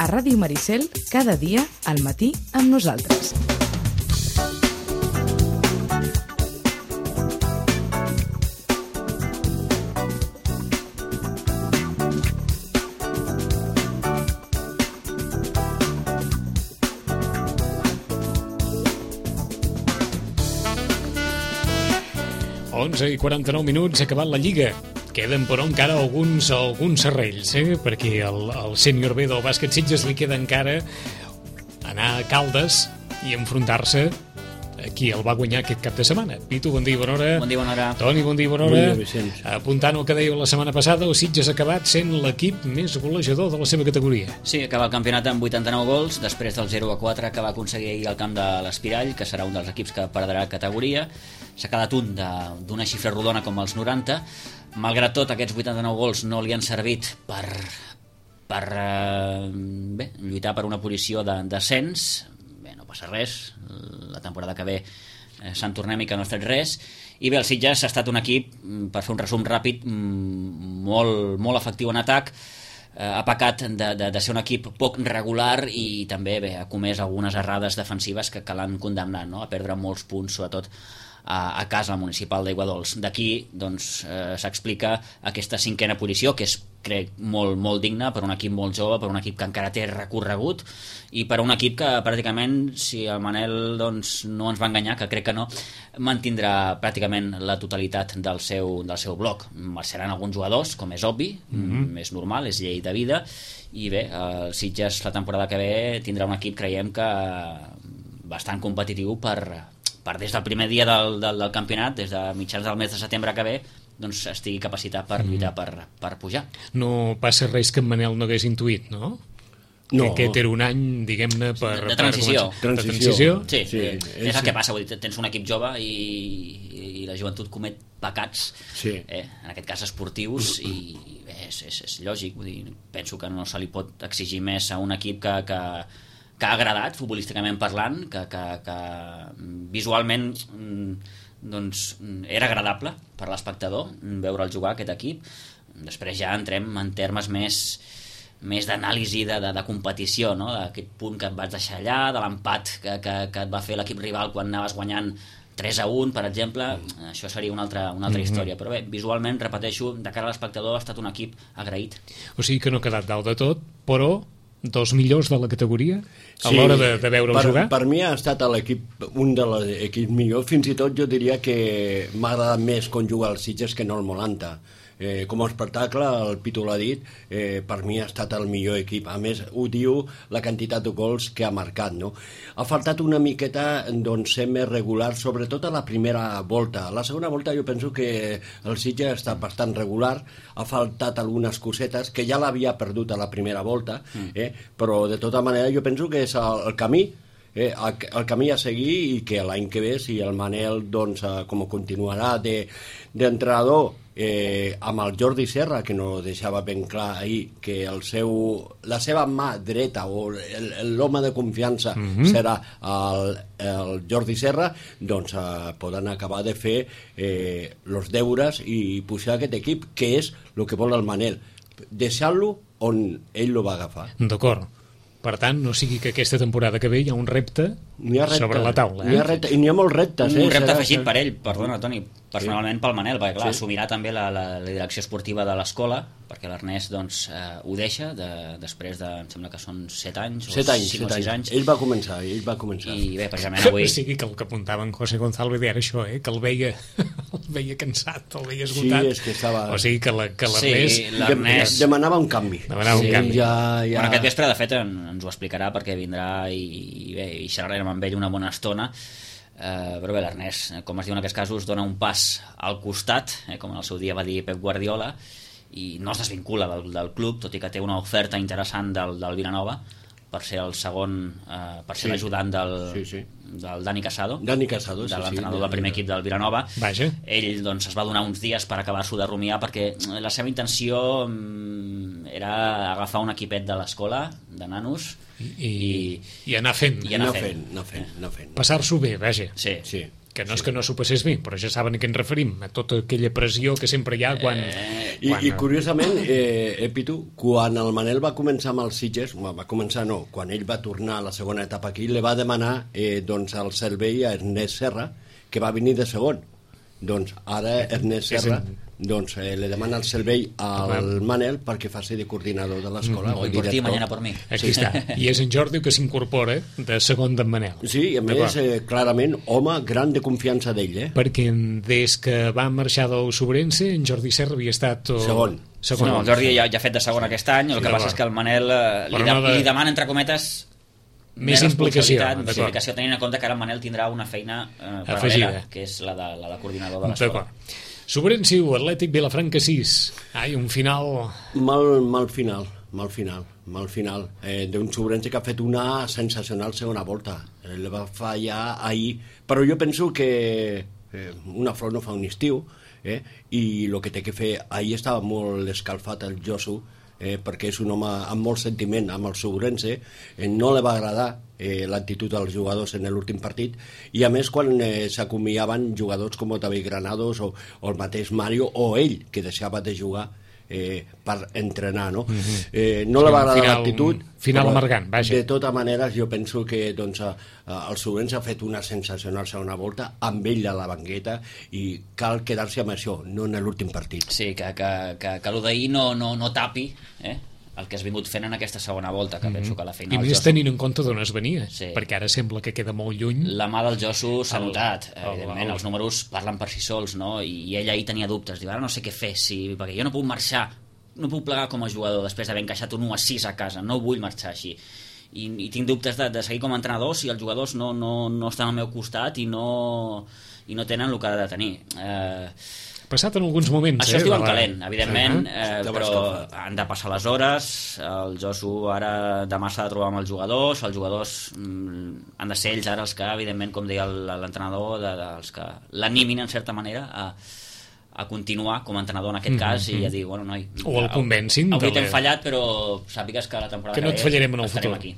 A Ràdio Maricel, cada dia, al matí, amb nosaltres. I 49 minuts, ha acabat la Lliga. Queden, però, encara alguns serrells, perquè al sènior B del bàsquet Sitges li queda encara anar a Caldes i enfrontar-se a qui el va guanyar aquest cap de setmana. Pitu, bon dia i bona hora. Bon dia, bona hora. Toni, bon dia i bona hora. Bon dia, Vicenç. Apuntant el que dèieu la setmana passada, el Sitges ha acabat sent l'equip més golejador de la seva categoria. Sí, acaba el campionat amb 89 gols, després del 0-4 que va aconseguir ahir al camp de l'Espirall, que serà un dels equips que perdrà categoria. S'ha quedat un d'una xifra rodona com els 90. Malgrat tot, aquests 89 gols no li han servit per lluitar per una posició de descens. Bé, no passa res, la temporada que ve se'n tornem i que no ha fet res. I bé, el Sitges ha estat un equip, per fer un resum ràpid, molt efectiu en atac. Ha pecat de ser un equip poc regular i també ha comès algunes errades defensives que l'han condemnat, no? A perdre molts punts, sobretot a casa al municipal d'Aiguadols. D'aquí doncs, s'explica aquesta cinquena posició, que és, crec, molt digna per un equip molt jove, per un equip que encara té recorregut i per un equip que pràcticament, si el Manel doncs, no ens va enganyar, que crec que no, mantindrà pràcticament la totalitat del seu bloc. Marxaran alguns jugadors, com és obvi, és normal, és llei de vida, i bé, el Sitges la temporada que ve tindrà un equip, creiem que bastant competitiu per des del primer dia del campionat, des de mitjans del mes de setembre que ve, doncs estigui capacitat per lluitar per pujar. No passa res que en Manel no hagués intuït, no? No. Que aquest era un any, diguem-ne, de transició. De transició. Sí, és el que passa, vull dir, tens un equip jove i la joventut comet pecats, en aquest cas esportius, i és lògic, vull dir, penso que no se li pot exigir més a un equip que ha agradat, futbolísticament parlant, que visualment doncs, era agradable per l'espectador veure'l jugar, aquest equip. Després ja entrem en termes més d'anàlisi de competició, no? D'aquest punt que et vas deixar allà, de l'empat que et va fer l'equip rival quan anaves guanyant 3-1, per exemple. Això seria una altra història, però bé, visualment, repeteixo, de cara a l'espectador ha estat un equip agraït. O sigui que no ha quedat dalt de tot, però dels millors de la categoria a l'hora de veure'l jugar? Per mi ha estat un de l'equip millor. Fins i tot jo diria que m'ha agradat més quan juga al Sitges que no el Molanta. Com a espectacle, el Pitu l'ha dit, per mi ha estat el millor equip. A més, ho diu la quantitat de gols que ha marcat, no? Ha faltat una miqueta ser més regular, sobretot a la primera volta. A la segona volta jo penso que el Sitges ha estat bastant regular, ha faltat algunes cosetes que ja l'havia perdut a la primera volta, però de tota manera jo penso que és el camí, el camí a seguir, i que l'any que ve, si el Manel com continuarà d'entrenador amb el Jordi Serra, que no deixava ben clar ahir que la seva mà dreta o l'home de confiança serà el Jordi Serra, doncs poden acabar de fer els deures i pujar aquest equip, que és el que vol el Manel, deixar-lo on ell lo va agafar. D'acord. Per tant, no sigui que aquesta temporada que ve hi ha un repte sobre la taula. I n'hi ha molts reptes. Un repte afegit per ell, perdona, Toni, personalment pel Manel, perquè clar, assumirà també la direcció esportiva de l'escola, perquè l'Ernest ho deixa després de, em sembla que són 7 anys o 5 o 6 anys. Ell va començar. I bé, precisament avui... O sigui que el que apuntava en José González era això, que el veia cansat, el veia esgotat. Sí, és que estava... O sigui que l'Ernest... Demanava un canvi. Bueno, aquest vespre, de fet, ens ho explicarà, perquè vindrà i xerrarem amb ell una bona estona. Però bé, l'Ernest, com es diu en aquests casos, dona un pas al costat, com en el seu dia va dir Pep Guardiola, i no es desvincula del club, tot i que té una oferta interessant del Vilanova per ser el segon, per ser l'ajudant del Dani Casado, de l'entrenador del primer equip del Vilanova. Vaja. Ell es va donar uns dies per acabar-s'ho de rumiar, perquè la seva intenció era agafar un equipet de l'escola, de nanos, i anar fent. Anar fent. Passar-s'ho bé, vaja. Sí. Que no és que no s'ho passés bé, però ja saben a què ens referim, a tota aquella pressió que sempre hi ha quan... I curiosament, Pitu, quan el Manel va començar amb els Sitges, quan ell va tornar a la segona etapa aquí, li va demanar doncs, el servei a Ernest Serra, que va venir de segon. Doncs ara Ernest Serra li demana el servei al Manel perquè faci de coordinador de l'escola. Hoy por ti, mañana por mí. Aquí està. I és en Jordi que s'incorpora de segon d'en Manel. Sí, i a més, clarament, home gran de confiança d'ell. Perquè des que va marxar del Sobrense, en Jordi Serra havia estat... Segon. No, el Jordi ja ha fet de segon aquest any, el que passa és que el Manel li demana, entre cometes, més implicació tenint en compte que ara el Manel tindrà una feina paral·lela, que és la de coordinador de l'escola. Sobrense 1, Atlètic Vilafranca 6. Un final... Mal final d'un Sobrense que ha fet una sensacional segona volta. El va fallar ahir, però jo penso que una flor no fa un estiu, i el que té que fer... Ahir estava molt escalfat el Josu, perquè és un home amb molt sentiment amb el Sobrense, no li va agradar l'actitud dels jugadors en l'últim partit, i a més quan s'acomiaven jugadors com David Granados o el mateix Mario o ell, que deixava de jugar per entrenar, no? No li va agradar l'actitud, final amargant, vaja. De tota manera jo penso que doncs, el Sobrense ha fet una sensacional segona volta amb ell a la banqueta i cal quedar-se amb això, no en l'últim partit. Sí, que el d'ahir no tapi el que has vingut fent en aquesta segona volta, que penso que a la final... I més tenint en compte d'on es venia, perquè ara sembla que queda molt lluny. La mà del Josu s'ha notat, evidentment, els números parlen per si sols, no? I ell ahir tenia dubtes, diu, ara no sé què fer, perquè jo no puc marxar, no puc plegar com a jugador després d'haver encaixat un 1-6 a casa, no vull marxar així. I tinc dubtes de seguir com a entrenador si els jugadors no estan al meu costat i no tenen el que ha de tenir. Passat en alguns moments. Això es diu en calent, evidentment, però han de passar les hores, el Josu ara demà s'ha de trobar amb els jugadors han de ser ells ara els que, evidentment, com deia l'entrenador, els que l'animin en certa manera a continuar com a entrenador en aquest cas i a dir, bueno, noi, o el convencin avui t'hem fallat, però sàpigues que la temporada que no et fallarem en el futur aquí.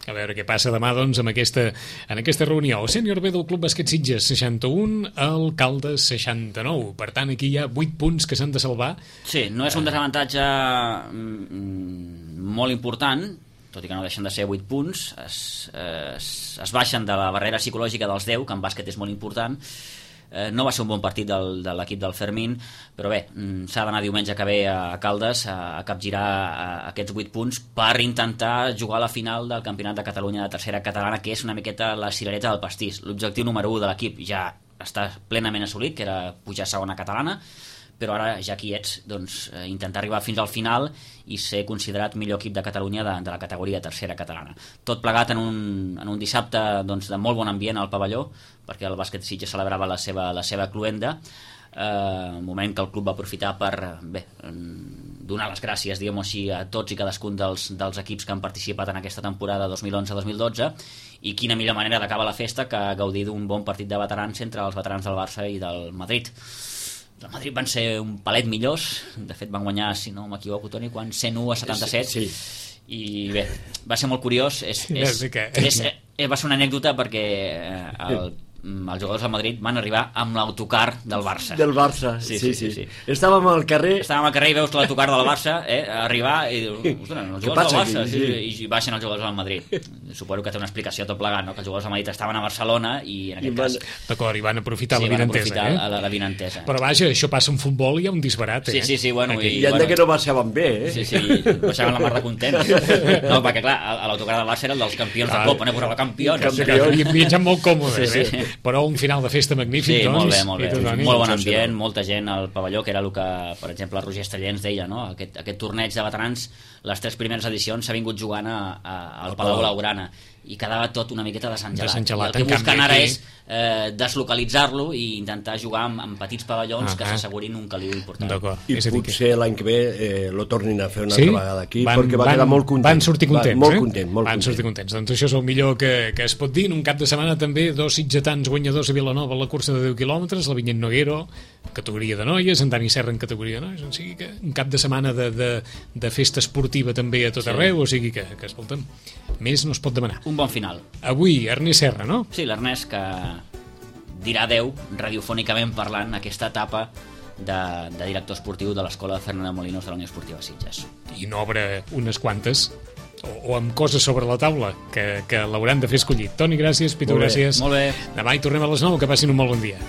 A veure què passa demà, doncs, en aquesta reunió. El sènior B del Club Bàsquet Sitges 61, el Caldes 69. Per tant, aquí hi ha 8 punts que s'han de salvar. Sí, no és un desavantatge molt important, tot i que no deixen de ser 8 punts. Es baixen de la barrera psicològica dels 10, que en bàsquet és molt important. No va ser un bon partit de l'equip del Fermín, però bé, s'ha d'anar diumenge que ve a Caldes a capgirar aquests 8 punts per intentar jugar a la final del Campionat de Catalunya de tercera catalana, que és una miqueta la cirereta del pastís. L'objectiu número 1 de l'equip ja està plenament assolit, que era pujar a segona catalana, però ara ja aquí ets, doncs, intentar arribar fins al final i ser considerat millor equip de Catalunya de la categoria tercera catalana. Tot plegat en un dissabte doncs, de molt bon ambient al pavelló, perquè el bàsquet Sitges celebrava la seva cluenda, un moment que el club va aprofitar per donar les gràcies, diguem-ho així, a tots i cadascun dels equips que han participat en aquesta temporada 2011-2012, i quina millor manera d'acabar la festa que gaudir d'un bon partit de veterans entre els veterans del Barça i del Madrid. El Madrid van ser un palet millors, de fet van guanyar, si no m'equivoco, Toni, 101-77, sí. I bé, va ser molt curiós, va ser una anècdota perquè els jugadors del Madrid van arribar amb l'autocar del Barça. Del Barça, sí. Estàvem al carrer i veus l'autocar del Barça arribar i dius, ostres, els jugadors del Barça, i baixen els jugadors del Madrid. Suposo que té una explicació tot plegat, no? Que els jugadors del Madrid estaven a Barcelona i en aquest cas... D'acord, i van aprofitar la vinentesa. Però vaja, això passa en futbol i hi ha un disbarat, Sí, bueno... I han de que no baixaven bé, Sí, baixaven la mar de contents. No, perquè clar, l'autocar del Barça era el dels campions de Copa, posava campions. I viatjant molt còmodes, però un final de festa magnífic, doncs. Sí, molt bé. Molt bon ambient, molta gent al pavelló, que era el que, per exemple, el Roger Estellens deia, no? Aquest torneig de veterans, les 3 primeres edicions s'ha vingut jugant al Palau Blaugrana i quedava tot una miqueta desengelat. El que busquen ara és deslocalitzar-lo i intentar jugar amb petits pavellons que s'assegurin un caliu important. I potser l'any que ve lo tornin a fer una altra vegada aquí, perquè va quedar molt content. Van sortir contents, Van sortir contents. Doncs això és el millor que es pot dir. En un cap de setmana també 2 sitgetans guanyadors a Vilanova a la cursa de 10 quilòmetres, la Vinyet Noguero, categoria de noies, en Dani Serra en categoria de noies, o sigui que un cap de setmana de festa esportiva també a tot arreu, o sigui que escolta'm, més no es pot demanar. Un bon final. Avui, Ernest Serra, no? Sí, l'Ernest, que dirà adeu, radiofònicament parlant, aquesta etapa de director esportiu de l'escola de Fernando Molinos de la Unió Esportiva Sitges. I n'obre unes quantes, o amb coses sobre la taula, que l'hauran de fer escollir. Toni, gràcies. Pitu, gràcies. Molt bé. Demà hi tornem a les 9, que passin un molt bon dia.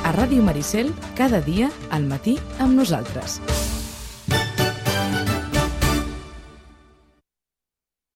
A Ràdio Maricel, cada dia al matí amb nosaltres.